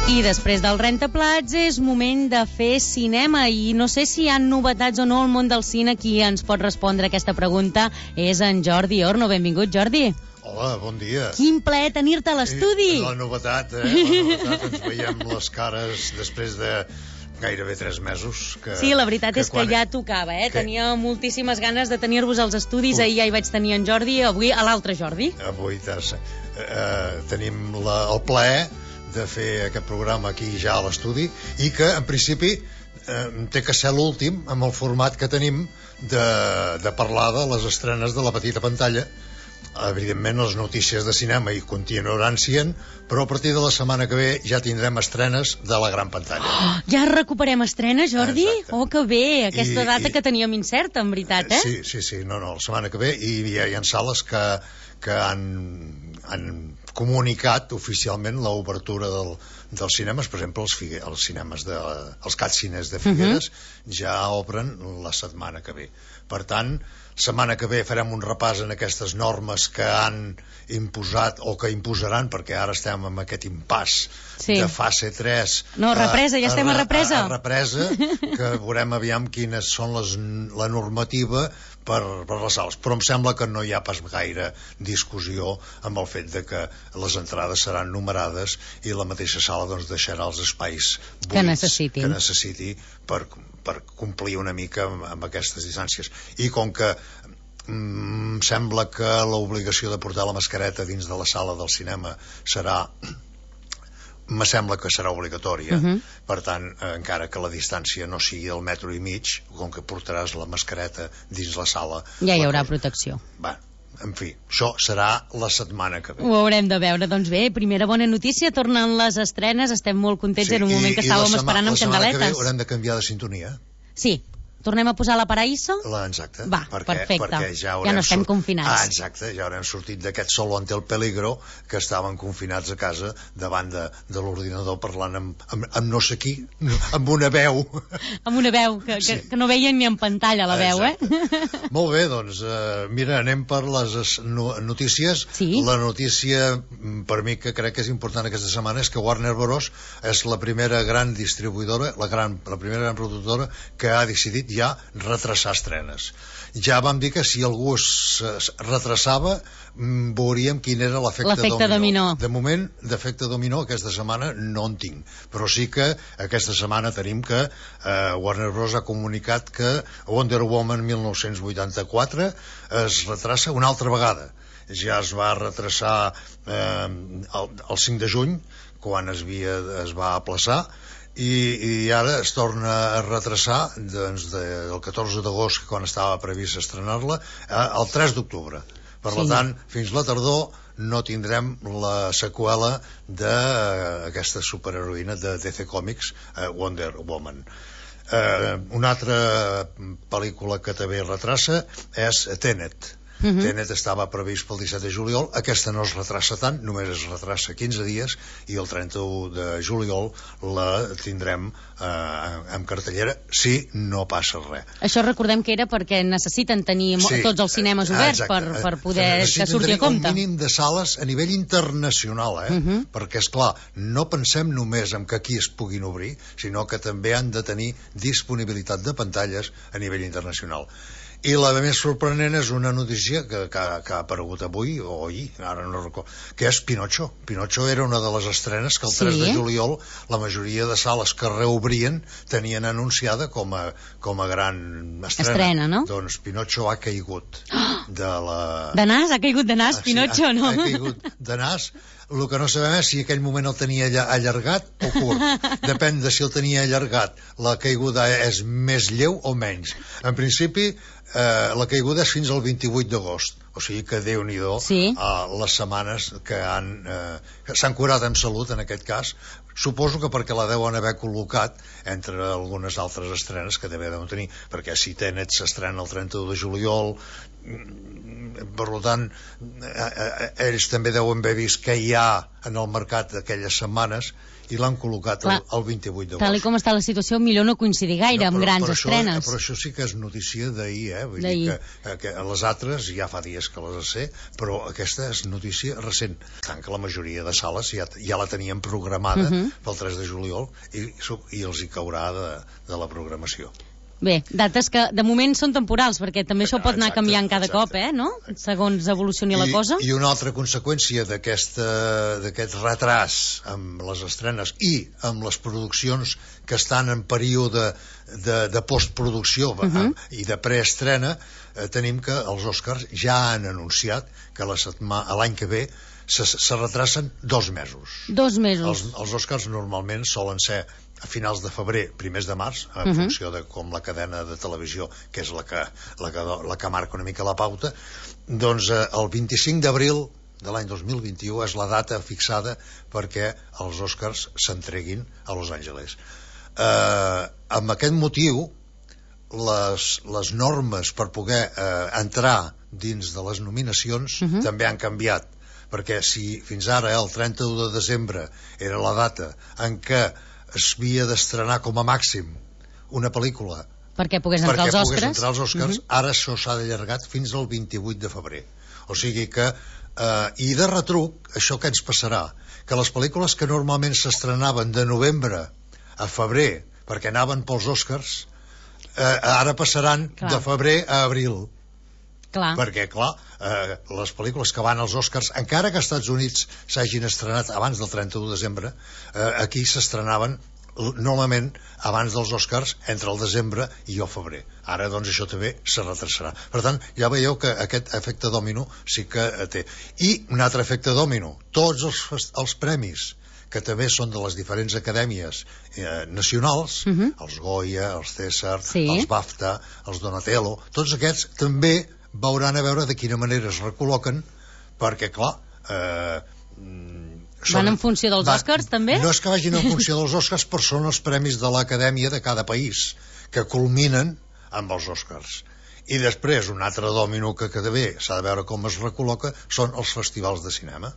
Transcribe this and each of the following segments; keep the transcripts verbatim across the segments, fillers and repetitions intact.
I després del rentaplats és moment de fer cinema i no sé si hi ha novetats o no al món del cine. Qui ens pot respondre aquesta pregunta és en Jordi Orno. Benvingut, Jordi. Hola, bon dia. Quin plaer tenir-te a l'estudi. La novetat, eh? La novetat, ens veiem les cares després de gairebé tres mesos. Que, sí, la veritat que és que quan... ja tocava, eh? Que... Tenia moltíssimes ganes de tenir-vos als estudis. Ui. Ahir ja hi vaig tenir en Jordi, avui a l'altre Jordi. Avui eh, tenim la, el plaer de fer aquest programa aquí ja a l'estudi i que, en principi, eh, té que ser l'últim amb el format que tenim de, de parlar de les estrenes de la petita pantalla. Evidentment, les notícies de cinema hi continuaran sent, però a partir de la setmana que ve ja tindrem estrenes de la gran pantalla. Oh, ja recuperem estrenes, Jordi? Exacte. Oh, que bé! Aquesta I, data i... que teníem incerta, en veritat, eh? Sí, sí, sí, no, no, la setmana que ve, i hi ha, hi ha sales que, que han, han comunicat oficialment l'obertura del, dels cinemes. Per exemple, els, figue, els cinemes de, els Catcines de Figueres uh -huh. ja obren la setmana que ve. Per tant, setmana que ve farem un repàs en aquestes normes que han imposat o que imposaran, perquè ara estem en aquest impàs sí. de fase tres. No, represa, ja estem a, a represa. A, a represa, que veurem aviam quines són les, la normativa per, per les sales. Però em sembla que no hi ha pas gaire discussió amb el fet de que les entrades seran numerades i la mateixa sala doncs, deixarà els espais buits que necessiti, que necessiti per, per complir una mica amb, amb aquestes distàncies. I com que em mm, sembla que l'obligació de portar la mascareta dins de la sala del cinema serà me sembla que serà obligatòria. Uh -huh. Per tant, eh, encara que la distància no sigui el metro i mig, com que portaràs la mascareta dins la sala, ja hi haurà cosa... protecció. Va, en fi, això serà la setmana que ve. Ho haurem de veure. Doncs bé, primera bona notícia, tornen les estrenes, estem molt contents, sí, en un moment i, que estàvem esperant amb candeletes. La setmana que ve haurem de canviar de sintonia. Sí. Tornem a posar la Paraíso? La, exacte. Va, perquè, perfecte. Perquè ja, ja no estem confinats. Ah, exacte, ja haurem sortit d'aquest solo ante el peligro que estaven confinats a casa davant de, de l'ordinador parlant amb, amb, amb no sé qui, amb una veu. Amb una veu, que, sí. que, que no veien ni en pantalla la veu, exacte. eh? Molt bé, doncs, eh, mira, anem per les notícies. Sí? La notícia, per mi, que crec que és important aquesta setmana és que Warner Bros. És la primera gran distribuïdora, la, gran, la primera gran productora que ha decidit ja retrasar estrenes. Ja vam dir que si algú es, es retrasava veuríem quin era l'efecte dominó. dominó. De moment, d'efecte dominó aquesta setmana no en tinc, però sí que aquesta setmana tenim que eh, Warner Bros. Ha comunicat que Wonder Woman mil nou-cents vuitanta-quatre es retrasa una altra vegada. Ja es va retrasar eh, el, el cinc de juny, quan es, havia, es va aplaçar, i, i ara es torna a retrasar doncs, de, del catorze d'agost, quan estava previst estrenar-la, al tres d'octubre. Per sí. tant, fins la tardor no tindrem la seqüela d'aquesta superheroïna de D C Comics, Wonder Woman. Eh, una altra pel·lícula que també retrasa és Tenet. Uh -huh. Tenet estava previst pel disset de juliol, aquesta no es retrasa tant, només es retrasa quinze dies, i el trenta-u de juliol la tindrem eh, en cartellera, si no passa res. Això recordem que era perquè necessiten tenir sí, tots els cinemes oberts per, per poder que surti a compte. Un mínim de sales a nivell internacional, eh? Uh -huh. Perquè, esclar, no pensem només en que aquí es puguin obrir, sinó que també han de tenir disponibilitat de pantalles a nivell internacional. I la més sorprenent és una notícia que, que, que ha aparegut avui o ahir, ara no recordo, que és Pinocho. Pinocho era una de les estrenes que el tres sí? de juliol la majoria de sales que reobrien tenien anunciada com a, com a gran estrena. Estrena, no? Doncs Pinocho ha caigut de la... De nas? Ha caigut de nas, ah, Pinocho, sí, ha, no? Ha caigut de nas. El que no sabem és si en aquell moment el tenia allargat o curt. Depèn de si el tenia allargat. La caiguda és més lleu o menys. En principi, eh, la caiguda és fins al vint-i-vuit d'agost. O sigui que Déu-n'hi-do sí. eh, les setmanes que han eh, s'han curat en salut, en aquest cas. Suposo que perquè la deuen haver col·locat entre algunes altres estrenes que també deuen tenir, perquè si Tenet s'estrena el trenta-u de juliol, per tant ells també deuen haver vist què hi ha en el mercat d'aquelles setmanes i l'han col·locat el, el vint-i-vuit d'agost. Tal com està la situació, millor no coincidir gaire no, però, amb grans però estrenes. Això, però això sí que és notícia d'ahir, eh? Vull dir que, que les altres ja fa dies que les sé, però aquesta és notícia recent. Tant que la majoria de sales ja, ja la tenien programada uh -huh. pel tres de juliol i, i els hi caurà de, de la programació. Bé, dates que de moment són temporals, perquè també això pot anar canviant cada exacte. cop, eh, no? Segons evolucioni la cosa. I una altra conseqüència d'aquest retras amb les estrenes i amb les produccions que estan en període de, de postproducció uh -huh. i de preestrena, eh, tenim que els Oscars ja han anunciat que l'any que ve se, se retracen dos mesos. Dos mesos. Els, els Oscars normalment solen ser a finals de febrer, primers de març, en uh -huh. funció de com la cadena de televisió, que és la que, la que, la que marca una mica la pauta, doncs eh, el vint-i-cinc d'abril de l'any dos mil vint-i-u és la data fixada perquè els Oscars s'entreguin a Los Angeles. Eh, amb aquest motiu, les, les normes per poder eh, entrar dins de les nominacions uh -huh. també han canviat, perquè si fins ara, el trenta-u de desembre, era la data en què es havia d'estrenar com a màxim una pel·lícula perquè pogués entrar als Oscars, entrar als Oscars uh -huh. ara això s'ha allargat fins al vint-i-vuit de febrer. O sigui que eh, i de retruc, això què ens passarà? Que les pel·lícules que normalment s'estrenaven de novembre a febrer perquè anaven pels Oscars eh, ara passaran clar. de febrer a abril. Clar. Perquè, clar, eh, les pel·lícules que van als Oscars, encara que als Estats Units s'hagin estrenat abans del trenta-u de desembre, eh, aquí s'estrenaven normalment abans dels Oscars entre el desembre i el febrer. Ara, doncs, això també se retrasarà. Per tant, ja veieu que aquest efecte dòmino sí que eh, té. I un altre efecte dòmino, tots els, els premis que també són de les diferents acadèmies eh, nacionals, uh -huh. els Goya, els César, sí. els BAFTA, els Donatello, tots aquests també veuran a veure de quina manera es recol·loquen, perquè, clar... Eh, són, van en funció dels van, Oscars, també? No és que vagin en funció dels Oscars, però són els premis de l'Acadèmia de cada país, que culminen amb els Oscars. I després, un altre dòmino que també s'ha de veure com es recol·loca, són els festivals de cinema.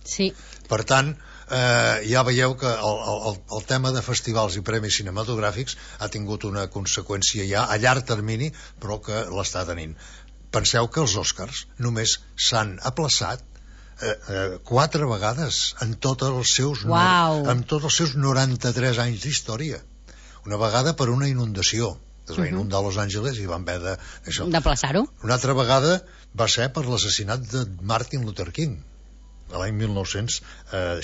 Sí. Per tant, eh, ja veieu que el, el, el tema de festivals i premis cinematogràfics ha tingut una conseqüència ja a llarg termini, però que l'està tenint. Penseu que els Oscars només s'han aplaçat eh, eh, quatre vegades en tots els seus wow. en tots els seus noranta-tres anys d'història. Una vegada per una inundació, es va uh-huh. inundar Los Angeles i van haver de, d'aplaçar-ho. Una altra vegada va ser per l'assassinat de Martin Luther King l'any mil nou-cents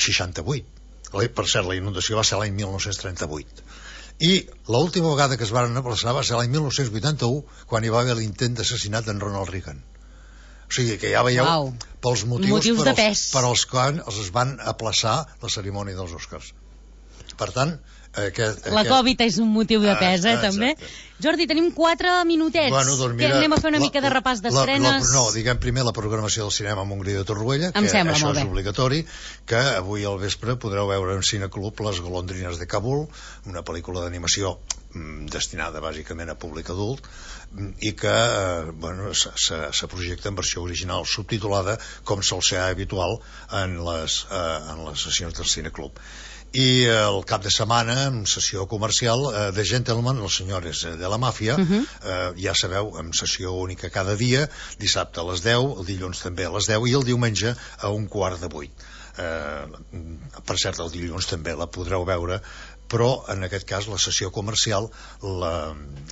seixanta-vuit. Per cert, la inundació va ser l'any mil nou-cents trenta-vuit. I l'última vegada que es van aplaçar va ser l'any mil nou-cents vuitanta-u, quan hi va haver l'intent d'assassinat d'en Ronald Reagan. O sigui que ja veieu wow. pels motius, motius per, als, per als quals els van aplaçar la cerimònia dels Oscars. Per tant, aquest, la aquest... Covid és un motiu de pes, eh, ah, també. Jordi, tenim quatre minutets. Bueno, doncs mira, que anem a fer una la, mica de repàs d'estrenes. No, diguem primer la programació del cinema a Montgrí de Torroella, em que sembla, això molt és bé. obligatori, que avui al vespre podreu veure en Cineclub Les golondrines de Kabul, una pel·lícula d'animació mm, destinada bàsicament a públic adult, i que eh, bueno, se, se projecta en versió original subtitulada, com sol ser habitual en les, eh, en les sessions del Cineclub. I el cap de setmana, en sessió comercial, eh, de Gentleman, els senyores de la màfia, uh-huh. eh, ja sabeu, en sessió única cada dia, dissabte a les deu, el dilluns també a les deu i el diumenge a un quart de vuit. Eh, per cert, el dilluns també la podreu veure, però en aquest cas la sessió comercial la,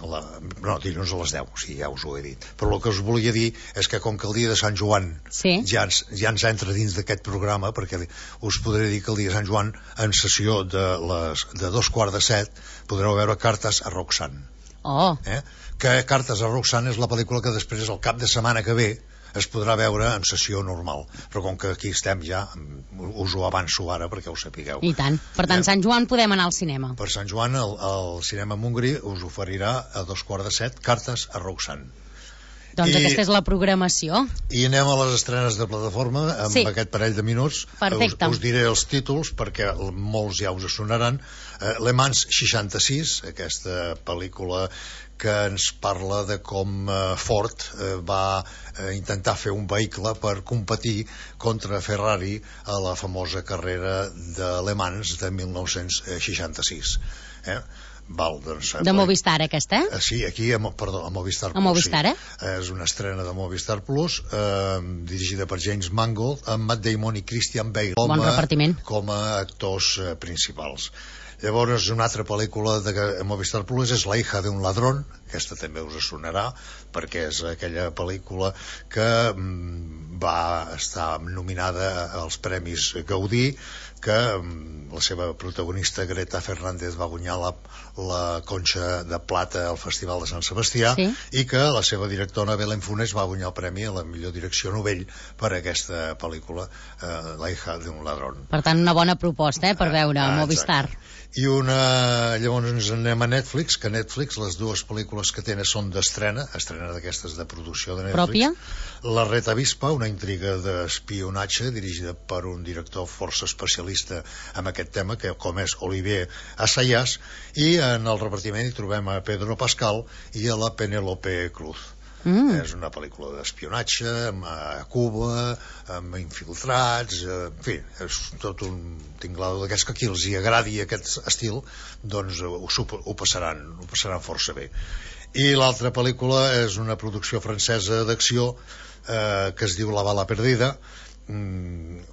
la, no, dilluns a les deu, sí, ja us ho he dit, però el que us volia dir és que com que el dia de Sant Joan sí. ja, ens, ja ens entra dins d'aquest programa, perquè us podré dir que el dia de Sant Joan en sessió de, les, de dos quarts de set podreu veure Cartes a Roxanne. Oh. Eh? Que Cartes a Roxanne és la pel·lícula que després el cap de setmana que ve es podrà veure en sessió normal, però com que aquí estem ja, us ho avanço ara perquè ho sapigueu. I tant. Per tant, eh? Sant Joan podem anar al cinema. Per Sant Joan el, el cinema Montgrí us oferirà a dos quarts de set Cartes a Roxanne. Doncs I, aquesta és la programació. I anem a les estrenes de plataforma amb sí. aquest parell de minuts. Perfecte. Us, us diré els títols perquè molts ja us sonaran. Uh, Le Mans seixanta-sis, aquesta pel·lícula que ens parla de com uh, Ford uh, va uh, intentar fer un vehicle per competir contra Ferrari a la famosa carrera de Le Mans de mil nou-cents seixanta-sis. Eh? Val, doncs, de Movistar, aquesta? Eh? Sí, aquí, a, perdó, a Movistar Plus. A Movistar, sí. eh? És una estrena de Movistar Plus, eh, dirigida per James Mangold, amb Matt Damon i Christian Bale com, bon repartiment. A, com a actors eh, principals. Llavors, una altra pel·lícula de Movistar Plus és La hija de un ladrón, aquesta també us sonarà, perquè és aquella pel·lícula que mm, va estar nominada als Premis Gaudí, que mm, la seva protagonista Greta Fernández va guanyar la, la Conxa de Plata al Festival de Sant Sebastià, sí. i que la seva directora Belén Funes va guanyar el premi a la millor direcció novell per aquesta pel·lícula, eh, La hija de un ladrón. Per tant, una bona proposta, eh, per veure a Movistar. I una... llavors ens anem a Netflix, que Netflix, les dues pel·lícules que tenen són d'estrena, estrena d'aquestes de producció de Netflix. Pròpia? La Red Avispa, una intriga d'espionatge dirigida per un director força especialista en aquest tema, que com és Olivier Assayas, i en el repartiment hi trobem a Pedro Pascal i a la Penélope Cruz. Mm. És una pel·lícula d'espionatge a Cuba, amb infiltrats, en fi, és tot un tinglado d'aquests que aquí els hi agradi aquest estil, doncs ho, ho passaran ho passaran força bé. I l'altra pel·lícula és una producció francesa d'acció eh, que es diu La bala perdida, mm,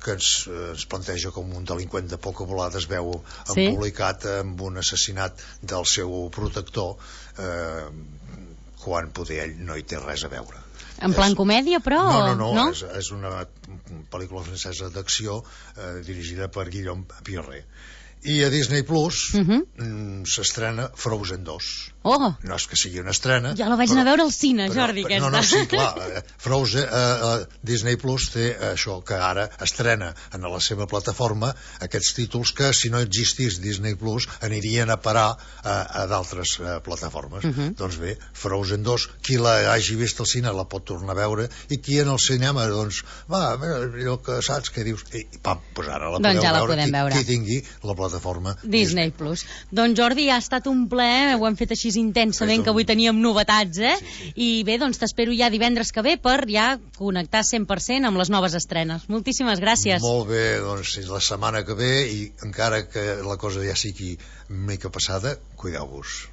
que ens, ens planteja com un delinqüent de poca volada es veu sí? embolicat amb un assassinat del seu protector, eh, quan poder ell no hi té res a veure. En plan és... comèdia, però? No, no, no, no? És, és una pel·lícula francesa d'acció eh, dirigida per Guillaume Pierret. I a Disney Plus uh-huh. s'estrena Frozen dos. Oh. No és que sigui una estrena. Ja la vaig però, anar a veure al cine, però, Jordi, però, aquesta. No, no, sí, clar. Frozen, eh, eh, Disney Plus té això, que ara estrena en la seva plataforma aquests títols que, si no existís Disney Plus, anirien a parar a, a d'altres eh, plataformes. Uh-huh. Doncs bé, Frozen dos, qui la hagi vist al cine la pot tornar a veure, i qui en el cinema, doncs, va, allò que saps, què dius? I, pam, doncs ara la doncs podeu ja la veure, podem qui, veure. qui tingui la plataforma Disney, Disney Plus. Doncs Jordi, ha estat un plaer, ho hem fet així intensament, que avui teníem novetats, eh? Sí, sí. I bé, doncs t'espero ja divendres que ve per ja connectar cent per cent amb les noves estrenes. Moltíssimes gràcies. Molt bé, doncs la setmana que ve, i encara que la cosa ja sigui mica passada, cuideu-vos.